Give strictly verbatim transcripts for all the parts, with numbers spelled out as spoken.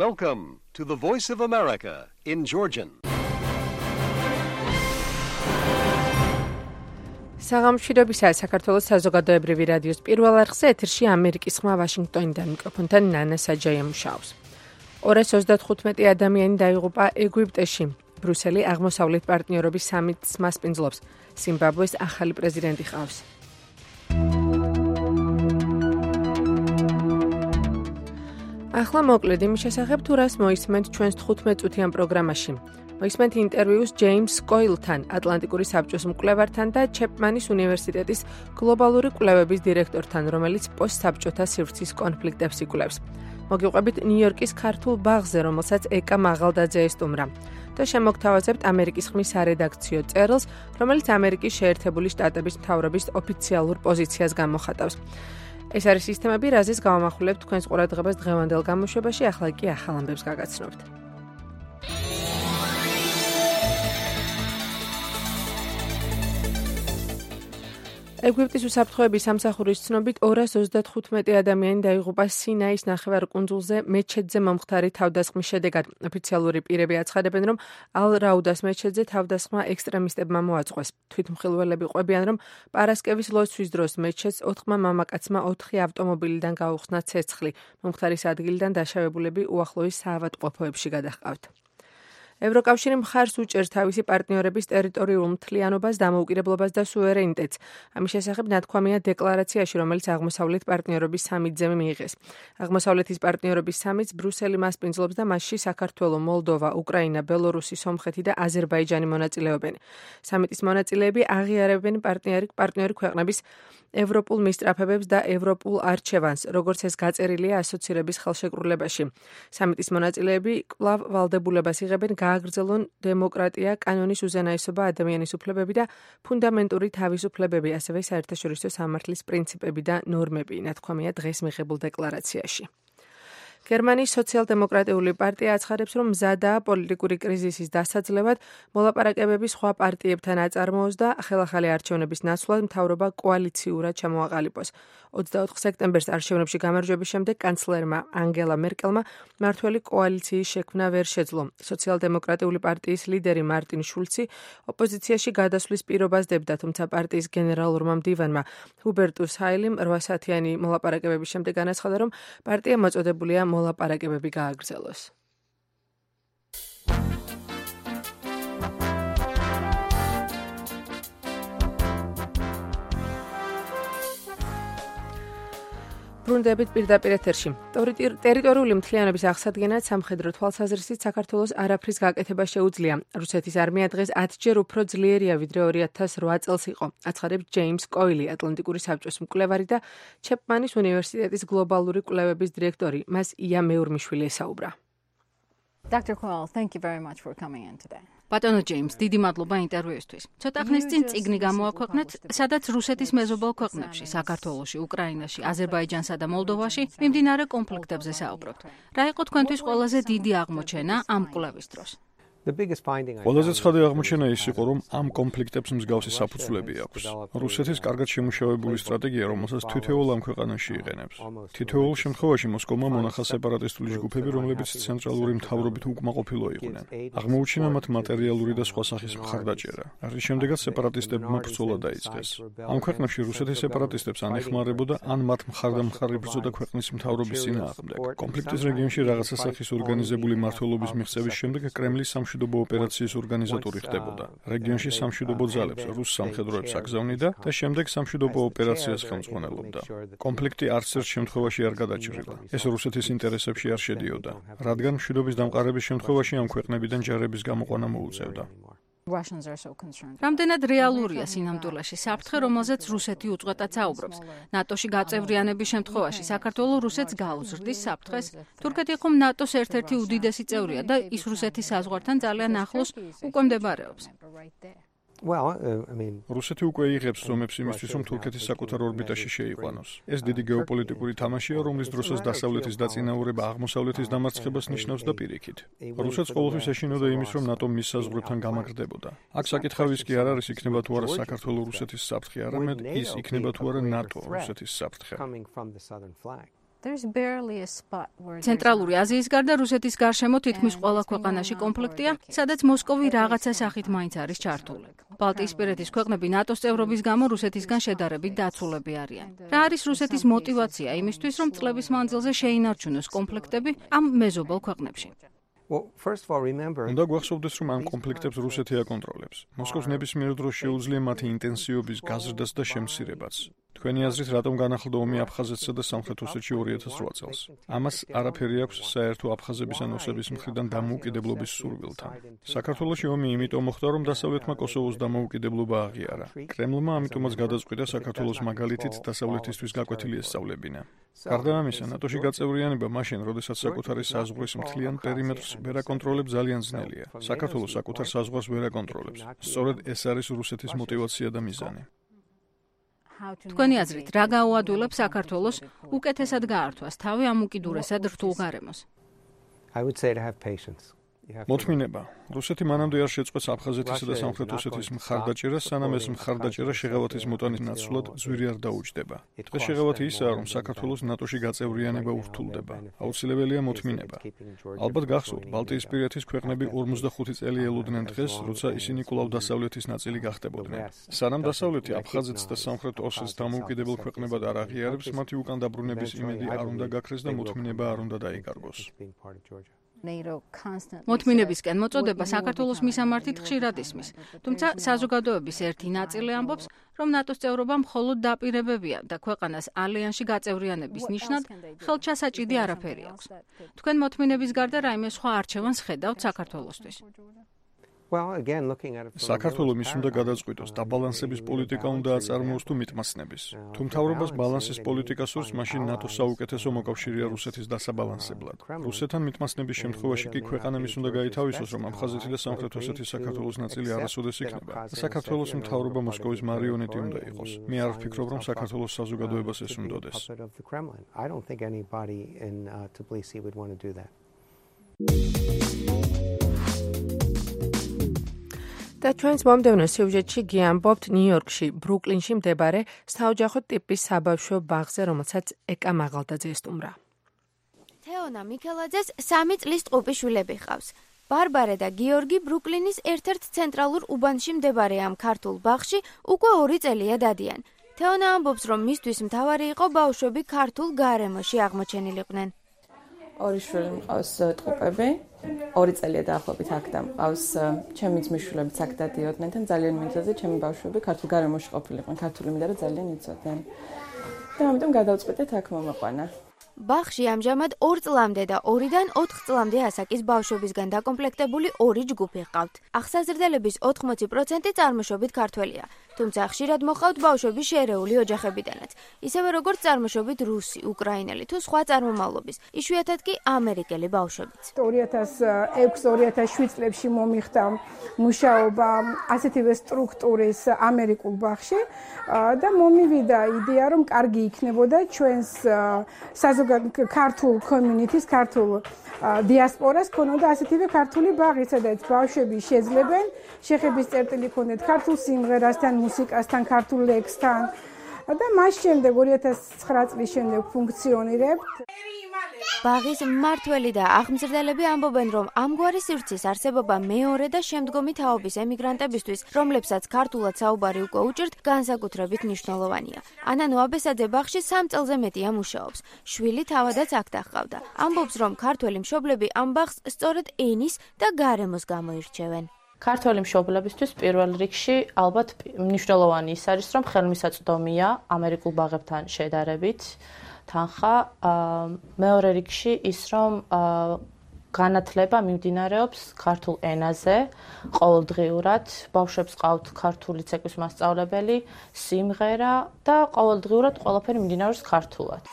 Welcome to the Voice of America in Georgian. საღამოშვიდობისა საქართველოს საზოგადოებრივი რადიოს პირველ არხზე ეთერში ამერიკის ხმა ვაშინგტონიდან მიკროფონთან ნანა საჯაია მუშაობს. ორას ოცდათხუთმეტი ადამიანი დაიღუპა ეგვიპტეში. ბრუსელი აღმოსავლეთ პარტნიორობის სამიტს მასპინძლობს. ზიმბაბვეს ახალი პრეზიდენტი ყავს. ახლა მოკლედ იმის შესახებ თუ რას მოისმენთ ჩვენს თხუთმეტწუთიან პროგრამაში. მოისმენთ ინტერვიუს ჯეიმს კოილთან, ატლანტიკური საბჭოს მკვლევართან და ჩეპმანის უნივერსიტეტის გლობალური კვლევების დირექტორთან, რომელიც პოსტსაბჭოთა სივრცის კონფლიქტებს იკვლევს. მოგიყვებით ნიუ-იორკის ქართულ ბაღზე, რომელსაც ეკა მაღალდაძე ესტუმრა. და შემოგთავაზებთ ამერიკის ხმის სარედაქციო წერილს, რომელიც ამერიკის შეერთებული შტატების მთავრობის ოფიციალურ პოზიციას გამოხატავს. ეს არის სისტემები, რაზეც გავამახვილებთ თქვენს ყურადღებას დღევანდელ გამოშვებაში, ახლა კი ახალ ამბებს გაგაცნობთ. ეგვიპტის უსაფრთხოების სამსახურის ცნობით ორას ოცდათხუთმეტი ადამიანი დაიღუპა სინაის ნახევარკუნძულზე მეჩეთზე მომხდარი თავდასხმის შედეგად. ოფიციალური პირები აცხადებენ, რომ ალ-რაუდას მეჩეთზე თავდასხმა ექსტრემისტებმა მოაწყვეს. თვითმხილველები ყვებიან, რომ პარასკევის ლოცვის დროს მეჩეთს ოთხმა მამაკაცმა ოთხი ავტომობილიდან გაუხსნა ცეცხლი. მომხდარის ადგილიდან დაშავებულები უახლოეს საავადმყოფოებში გადაჰყავთ. ევროკავშირი მხარს უჭერს თავისი პარტნიორების ტერიტორიულ მთლიანობას, დამოუკიდებლობას და სუვერენიტეტს. ამის შესახებ ნათქვამია დეკლარაციაში, რომელიც აღმოსავლეთ პარტნიორობის სამიტზე მიიღეს. აღმოსავლეთის პარტნიორობის სამიტს ბრუსელი მასპინძლობს და მასში საქართველო, მოლდოვა, უკრაინა, ბელორუსი, სომხეთი და აზერბაიჯანი მონაწილეობენ. სამიტის მონაწილეები აღიარებენ პარტნიორი პარტნიორი ქვეყნების ევროპულ მისწრაფებებს და ევროპულ არჩევანს, როგორც ეს გაწერილია ასოცირების ხელშეკრულებაში. სამიტის მონაწილეები კვლავ ვალდებულებას იღებენ გააგრძელონ დემოკრატია, კანონის უზენაესობა, ადამიანის უფლებები და ფუნდამენტური თავისუფლებები, ასევე საერთაშორისო სამართლის პრინციპები და ნორმები, ნათქვამია დღეს მიღებულ დეკლარაციაში. გერმანიის სოციალ-დემოკრატიული პარტია აცხადებს, რომ მზადაა პოლიტიკური კრიზისის დასაძლევად მოლაპარაკებები სხვა პარტიებთან აწარმოოს და ხელახალი არჩევნების ნაცვლად მთავრობა კოალიციურად ჩამოაყალიბოს. ოცდაოთხ სექტემბერს არჩევნებში გამარჯვების შემდეგ კანცლერმა ანგელა მერკელმა მართველი კოალიციის შექმნა ვერ შეძლო. სოციალ-დემოკრატიული პარტიის ლიდერი მარტინ შულცი ოპოზიციაში გადასვლის პირობას დებდა, თუმცა პარტიის გენერალურმა მდივანმა ჰუბერტუს ჰაილიმ რვა საათიანი მოლაპარაკებების შემდეგ განაცხადა, რომ პარტია მოწოდებულია მოლაპარაკებები გააგრძელოს. ბრუნდებით პირდაპირ ეთერში. ტერიტორიული მთლიანობის აღსადგენად სამხედრო თვალსაზრისით საქართველოს არაფრის გაკეთება შეუძლია. რუსეთის არმია დღეს ათჯერ უფრო ძლიერია, ვიდრე ორი ათას რვა წელს იყო. აცხადებს ჯეიმს კოილი, ატლანტიკური საბჭოს მკვლევარი და ჩეპმანის უნივერსიტეტის გლობალური კვლევების დირექტორი. მას ია მეურმიშვილი ესაუბრა. Doctor Coyle, thank you very much for coming in today. ბატონო ჯეიმს, დიდი მადლობა ინტერვიუსთვის. ცოტა ხნის წინ წიგნი გამოაქვეყნეთ, სადაც რუსეთის მეზობელ ქვეყნებში, საქართველოში, უკრაინაში, აზერბაიჯანსა და მოლდოვაში მიმდინარე კონფლიქტებზე საუბრობთ. რა იყო თქვენთვის ყველაზე დიდი აღმოჩენა ამ კვლევის დროს? ყველაზე ცხადი აღმოჩენა ის იყო, რომ ამ კონფლიქტებს მსგავსი საფუძვლები აქვს. რუსეთის კარგად შემუშავებული სტრატეგია, რომელსაც თითოეულ ამ ქვეყანაში იყენებს. თითოეულ შემთხვევაში მოსკოვმა მონახა სეპარატისტული ჯგუფები, რომლებიც ცენტრალური მთავრობით უკმაყოფილო იყვნენ. აღმოუჩინა მათ მატერიალური და სხვა სახის მხარდაჭერა. რის შემდეგაც სეპარატისტებმა ბრძოლა დაიწყეს. ამ ქვეყნებში რუსეთის სეპარატისტებს ან ეხმარებოდა, ან მათ მხარდამხარი ბრძოდა ქვეყნის მთავრობის წინააღმდეგ. კონფლიქტის რეგიონში რაღაცა სახის ორგანიზებული მმართველობის მიღწევის შემდეგ კრემლის სამშვიდობო ოპერაციის ორგანიზატორი ხდებოდა. რეგიონში სამშვიდობო ძალებს, რუს სამხედროებს აგზავნიდა და შემდეგ სამშვიდობო ოპერაციას ხელმძღვანელობდა. კონფლიქტი არც ერთ შემთხვევაში არ გადაჭრილა. ეს რუსეთის ინტერესებში არ შედიოდა, რადგან მშვიდობის დამყარების შემთხვევაში ამ ქვეყნებიდან ჯარების გამოყვანა მოუწევდა. რამდენად რეალურია სინამდვილეში საფრთხე, რომელზეც რუსეთი უწყვეტად საუბრობს? ნატოში გაწევრიანების შემთხვევაში საქართველო რუსეთს გაუზრდის საფრთხეს? თურქეთი ხომ ნატოს ერთ-ერთი უდიდესი წევრია და ის რუსეთის საზღვართან ძალიან ახლოს უკვე მდებარეობს. რუსეთი უკვე იღებს ზომებს იმისთვის, რომ თურქეთის საკუთარ ორბიტაში შეიყვანოს. ეს დიდი გეოპოლიტიკური თამაშია, რომლის დროსაც დასავლეთის დაწინაურება აღმოსავლეთის დამარცხებას ნიშნავს და პირიქით. რუსეთს ყოველთვის ეშინოდა იმის, რომ ნატო მის საზღვრებთან გამაგრდებოდა. აქ საკითხავის კი არ არის, იქნება თუ არა საქართველო რუსეთის საფრთხე, არამედ ის იქნება თუ არა ნატო რუსეთის საფრთხე. ცენტრალური აზიის გარდა რუსეთის გარშემო თითქმის ყველა ქვეყანაში კონფლიქტია, სადაც მოსკოვი რაღაცა სახით მაინც არის ჩართული. ბალტიისპირეთის ქვეყნები ნატოს წევრობის გამო რუსეთისგან შედარებით დაცულები არიან. რა არის რუსეთის мотиваცია იმისთვის, რომ წლების მანძილზე შეინარჩუნოს კონფლიქტები ამ მეზობელ ქვეყნებში? უნდა გვახსოვდეს, რომ ამ კონფლიქტებს რუსეთი აკონტროლებს. მოსკოვს ნებისმიერ დროს შეუძლია მათი ინტენსივობის გაზრდას და შემცირებაც. თქვენი აზრით, რატომ განახლდა ომი აფხაზეთსა და სამხრეთ ოსეთში ორი ათას რვა წელს? ამას არაფერი აქვს საერთო აფხაზების ან ოსების მხრიდან დამოუკიდებლობის სურვილთან. საქართველოში ომი იმიტომ მოხდა, რომ დასავლეთმა კოსოვოს დამოუკიდებლობა აღიარა. კრემლმა ამიტომაც გადაწყვიტა საქართველოს მაგალითით დასავლეთისთვის გაკვეთილი ესწავლებინა. გარდა ამისა, ნატოში გაწევრიანება მაშინ, როდესაც საკუთარი საზღვრის მთლიან პერიმეტრს ვერ აკონტროლებს, ძალიან ძნელია. საქართველოს საკუთარ საზღვარს ვერ აკონტროლებს. სწორედ ეს არის რუსეთის мотиваცია და მიზანი. თქვენი აზრით, რა გაუადვილებს საქართველოს უკეთესად გაართვას თავი ამ უკიდურესად რთულ გარემოს? მოთმინება. რუსეთი მანამდე არ შეწყვეტს აფხაზეთისა და სამხრეთ ოსეთის მხარდაჭერას, სანამ ეს მხარდაჭერა შეღავათის მოტანის ნაცვლად ძვირი არ დაუჯდება. დღეს შეღავათი ისაა, რომ საქართველოს ნატოში გაწევრიანება ურთულდება. აუცილებელია მოთმინება. ალბათ გახსოვთ, ბალტიისპირეთის ქვეყნები ორმოცდახუთი წელი ელოდნენ დღეს, როცა ისინი კვლავ დასავლეთის ნაწილი გახდებოდნენ. სანამ დასავლეთი აფხაზეთს და სამხრეთ ოსეთს დამოუკიდებელ ქვეყნებად არ აღიარებს, მათი უკან დაბრუნების იმედი არ უნდა გაქრეს და მოთმინება არ უნდა დაიკარგოს. მოთმინებისკენ მოწოდება საქართველოს მისამართით ხშირად ისმის, თუმცა საზოგადოების ერთი ნაწილი ამბობს, რომ ნატოს წევრობა მხოლოდ დაპირებებია და ქვეყანას ალიანსში გაწევრიანების ნიშნად ხელჩასაჭიდი არაფერი აქვს. თქვენ მოთმინების გარდა რაიმე სხვა არჩევანს ხედავთ საქართველოსთვის? საქართველო მის უნდა გადაწყვიტოს, დაბალანსების პოლიტიკა უნდა აწარმოოს თუ მიტმაცნების. თუ მთავრობას ბალანსის პოლიტიკა სურს, მაშინ ნატოს საუკეთესო მოკავშირეა რუსეთის დასაბალანსებლად. რუსეთთან მიტმაცნების შემთხვევაში კი ქვეყანა მის უნდა გაითავისოს, რომ აფხაზეთი და სამხრეთ ოსეთის საქართველოს ნაწილი არასოდეს იქნება. საქართველოს მთავრობა მოსკოვის მარიონეტი უნდა იყოს. მე არ ვფიქრობ, რომ საქართველოს საზოგადოებას ეს უნდოდეს. და ჩვენს მომდევნო სიუჟეტში გიამბობთ ნიუ-იორკში, ბრუკლინში მდებარე საოჯახო ტიპის საბავშვო ბაღზე, რომელსაც ეკა მაღალდაძე ესტუმრა. თეონა მიქელაძეს სამი წლის ტყუპი შვილები ჰყავს. ბარბარე და გიორგი ბრუკლინის ერთ-ერთ ცენტრალურ უბანში მდებარე ამ ქართულ ბაღში უკვე ორი წელია დადიან. თეონა ამბობს, რომ მისთვის მთავარი იყო ბავშვები ქართულ გარემოში აღმოჩენილიყვნენ. ორი შვილი მყავს ტყუპები, ორი წელია დაახლოებით აქ და მყავს ჩემი ძმისშვილებიც აქ დადიოდნენ და ძალიან მინდოდა ჩემი ბავშვები ქართულ გარემოში ყოფილიყვნენ, ქართული მინდა და ძალიან იცოდნენ. და ამიტომ გადავწყვიტეთ აქ მომაყვანა. ბაღში ამჟამად ორ წლამდე და ორიდან ოთხ წლამდე ასაკის ბავშვებისგან დაკომპლექტებული ორი ჯგუფი ჰყავთ. ახსაზრდელების ოთხმოცი პროცენტი წარმოშობით ქართველია, თუმცა ხშირად მოჰყავთ ბავშვები შერეული ოჯახებიდანაც, ისევე როგორც წარმოშობით რუსი, უკრაინელი თუ სხვა წარმომავლობის, იშვიათად კი ამერიკელი ბავშვებიც. ორი ათას ექვსი ორი ათას შვიდ წლებში მომიხდა მუშაობა ასეთივე სტრუქტურის ამერიკულ ბაღში და მომივიდა იდეა, რომ კარგი იქნებოდა ჩვენს საზოგადოებრივ ქართულ კომიუნიტის, ქართულ დიასპორას ქონოდა ასეთივე ქართული ბაღი, სადაც ბავშვები შეძლებენ შეხების წერტილი ქონდეთ ქართულ სიმღერასთან, მუსიკასთან, ქართულ ლექსთან და მას შემდეგ ორი ათას ცხრა წლის შემდეგ ფუნქციონირებთ. ბაღის მმართველი და აღმზრდელები ამბობენ, რომ ამგვარი სივრცის არსებობა მეორე და შემდგომი თაობის ემიგრანტებისთვის, რომლებსაც ქართულად საუბარი უკვე უჭირთ, განსაკუთრებით მნიშვნელოვანია. ანანო აბესაძე ბაღში სამ წელზე მეტია მუშაობს. შვილი თავადაც აქ დაჰყავდა. ამბობს, რომ ქართველი მშობლები ამ ბაღს სწორედ ენის და გარემოს გამო ირჩევენ. ქართველი მშობლებისთვის პირველ რიგში ალბათ მნიშვნელოვანი ის არის, რომ ხელმისაწვდომია ამერიკულ ბაღებთან შედარებით თანხა, მეორე რიგში ის, რომ განათლება მიმდინარეობს ქართულ ენაზე, ყოველდღიურად, ბავშვებს ყავთ ქართული ცეკვის მასწავლებელი, სიმღერა და ყოველდღიურად ყველაფერი მიმდინარეობს ქართულად.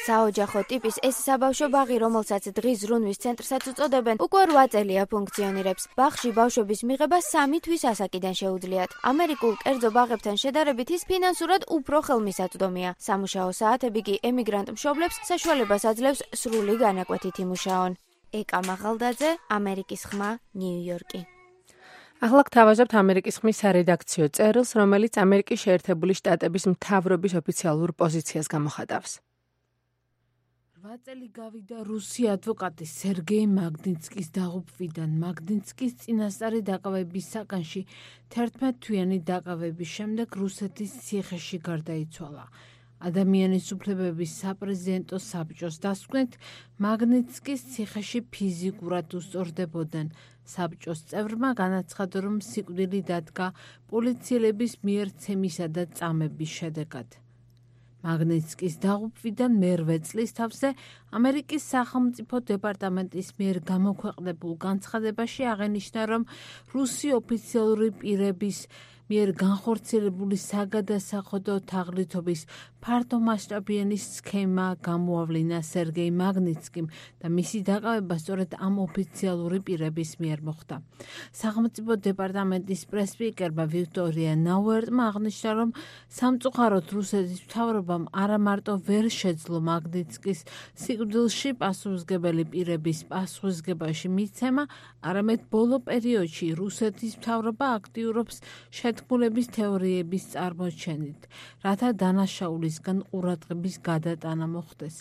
საოჯახო ტიპის ეს საბავშვო ბაღი, რომელსაც დღის ზრუნვის ცენტრსაც უწოდებენ, უკვე რვა წელია ფუნქციონირებს. ბაღში ბავშვების მიღება სამი თვის ასაკიდან შეუძლიათ. ამერიკულ კერძო ბაღებთან შედარებით ის ფინანსურად უფრო ხელმისაწვდომია. სამუშაო საათები კი ემიგრანტ მშობლებს საშუალებას აძლევს სრული განაკვეთით იმუშაონ. ეკა მაღალდაძე, ამერიკის ხმა, ნიუ-იორკი. ახლა გთავაზობთ ამერიკის ხმის სარედაქციო წერილს, რომელიც ამერიკის შეერთებული შტატების მთავრობის ოფიციალურ პოზიციას გამოხატავს. რვა წელი გავიდა რუსი ადვოკატი სერგეი მაგნიცკის დაღუპვიდან. მაგნიცკის წინასწარი დაკავების საკანში თერთმეტ-თვიანი დაკავების შემდეგ რუსეთის ციხეში გარდაიცვალა. ადამიანის უფლებების საპრეზიდენტო საბჭოს დასკვნით, მაგნიცკის ციხეში ფიზიკურად უსწორდებოდნენ. საბჭოს წევრმა განაცხადა, რომ სიკვდილი დადგა პოლიციელების მიერ ცემისა და წამების შედეგად. მაგნიცკის დაღუპვიდან მერვე წლის თავზე ამერიკის სახელმწიფო დეპარტამენტის მიერ გამოქვეყნებულ განცხადებაში აღენიშნა, რომ რუსი ოფიციალური პირების მიერ განხორციელებული საგადასახადო თაღლითობის ფართომასშტაბიანი სქემა გამოავლინა სერგეი მაგნიცკიმ და მისი დაკავება სწორედ ამ ოფიციალური პირების მიერ მოხდა. სახელმწიფო დეპარტამენტის პრესპიკერმა ვიქტორია ნაუერტმა აღნიშნა, რომ სამწუხაროდ რუსეთის მთავრობამ არა მარტო ვერ შეძლო მაგნიცკის სიკვდილში პასუხისმგებელი პირების პასუხისმგებაში მიცემა, არამედ ბოლო პერიოდში რუსეთის მთავრობა აქტიურობს შეთქმულების თეორიების წარმოჩენით, რათა დანაშაულისგან ყურადღების გადატანა მოხდეს.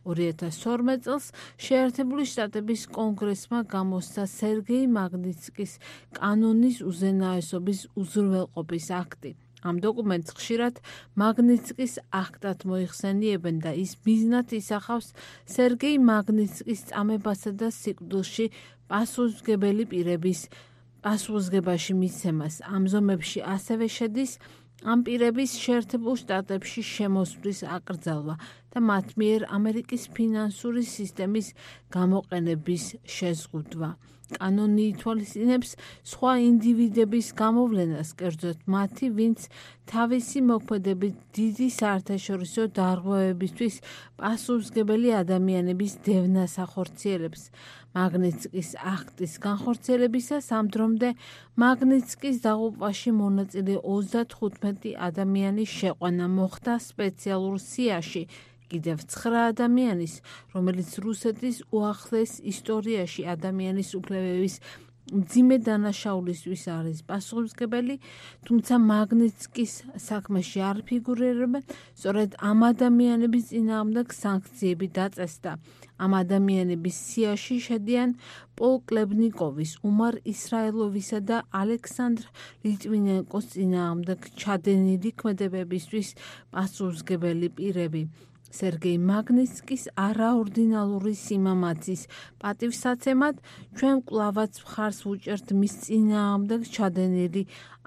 ორი ათას ორმეტ წელს შეერთებული შტატების კონგრესმა გამოსცა სერგეი მაგნიცკის კანონის უზენაესობის უზრუნველყოფის აქტი. ამ დოკუმენტს ხშირად მაგნიცკის აქტად მოიხსენიებენ და ის მიზნად ისახავს სერგეი მაგნიცკის წამებასა და სიკვდილში პასუხისმგებელი პირების პასუხისმგებაში მიცემას. ამ ზომებში ასევე შედის ამ პირების შეერთებულ შტატებში შემოსვლის აკრძალვა და მათ მიერ ამერიკის ფინანსური სისტემის გამოყენების შეზღუდვა. კანონი ითვალისწინებს სხვა ინდივიდების გამოვლენას, კერძოდ მათი, ვინც თავისი მოქმედებით დიდი საერთაშორისო დარღვევებისთვის პასუხისმგებელი ადამიანების დევნას ახორციელებს. მაგნიცკის აქტის განხორციელებისას ამ დრომდე მაგნიცკის დაღუპვაში მონაწილე ოცდათხუთმეტი ადამიანის შეყვანა მოხდა სპეციალურ სიაში, კიდევ ცხრა ადამიანის, რომელიც რუსეთის უახლეს ისტორიაში ადამიანის უფლებების მძიმე დანაშაულისთვის არის პასუხისმგებელი, თუმცა მაგნიცკის საქმეში არ ფიგურირებენ, სწორედ ამ ადამიანების წინააღმდეგ სანქციები დაწესდა. ამ ადამიანების სიაში შედიან პოლ კლებნიკოვის, უმარ ისრაელოვისა და ალექსანდრ ლიტვინენკოს წინააღმდეგ ჩადენილი ქმედებებისთვის პასუხისმგებელი პირები. სერგეი მაგნიცკის არაორდინალური სიმამაცის პატივსაცემად ჩვენ კვლავაც მხარს ვუჭერთ მის წინააღმდეგ ჩადენილი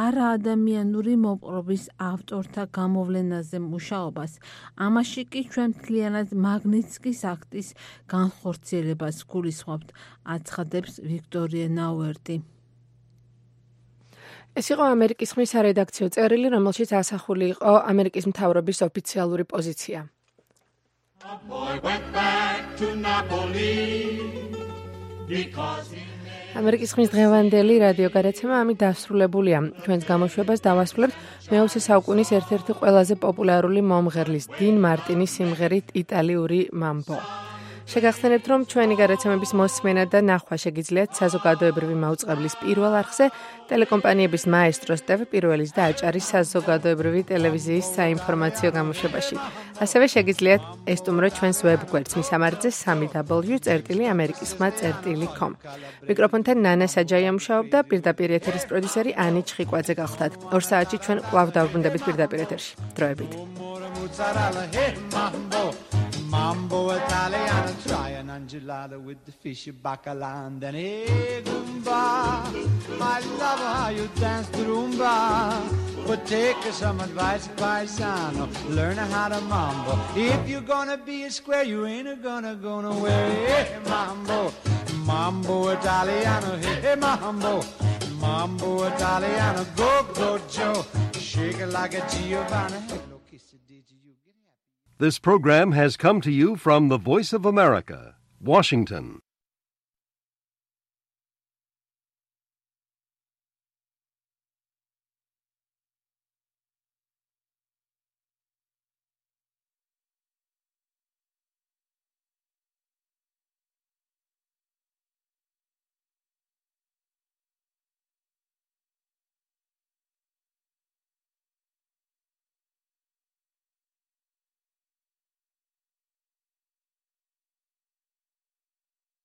არაადამიანური მოპყრობის ავტორთა გამოვლენაზე მუშაობას. ამაში კი ჩვენ მთლიანად მაგნიცკის აქტის განხორციელებას გულისხმობთ, აცხადებს ვიქტორია ნაუერტი. ეს იყო ამერიკის ხმის სარედაქციო წერილი, რომელშიც ასახული იყო ამერიკის მთავრობის ოფიციალური პოზიცია. A boy went back to Napoli because he ამერიკის ხმის დღევანდელი რადიო გადაცემა ამით დასრულებულია. ჩვენს გამოშვებას დავასრულებთ მეოცე საუკუნის ერთ-ერთი ყველაზე პოპულარული მომღერლის 딘 მარტინის სიმღერით იტალიური მამბო. შეგახსენებთ, რომ ჩვენი გადაცემების მოსმენა და ნახვა შეგიძლიათ საზოგადოებრივი მაუწყებლის პირველ არხზე, ტელეკომპანიების მაესტროს ტევ პირველის და აჭარის საზოგადოებრივი ტელევიზიის საინფორმაციო გამოშვებაში. ასევე შეგიძლიათ ესტუმროთ ჩვენს ვებგვერდს მისამართზე სამი დაბლიუ წერტილი ამერიკის ხმა წერტილი კომ. მიკროფონთან ნანა საჯაია მუშაობდა, პირდაპირ ეთერის პროდიუსერი ანი ჩხიკვაძე გახლდათ. ორ საათში ჩვენ კვლავ დავრუნდებით pirდაპირ ეთერში. დროებით. Mambo Italiano, try an angelada with the fish bacala and then hey Goomba. I love how you dance the rumba, but take some advice, paisano, learn how to mambo. If you're gonna be a square, you ain't gonna go nowhere. Hey mambo, mambo Italiano, hey mambo, mambo Italiano, go go Joe, shake it like a Giovanna. This program has come to you from the Voice of America, Washington.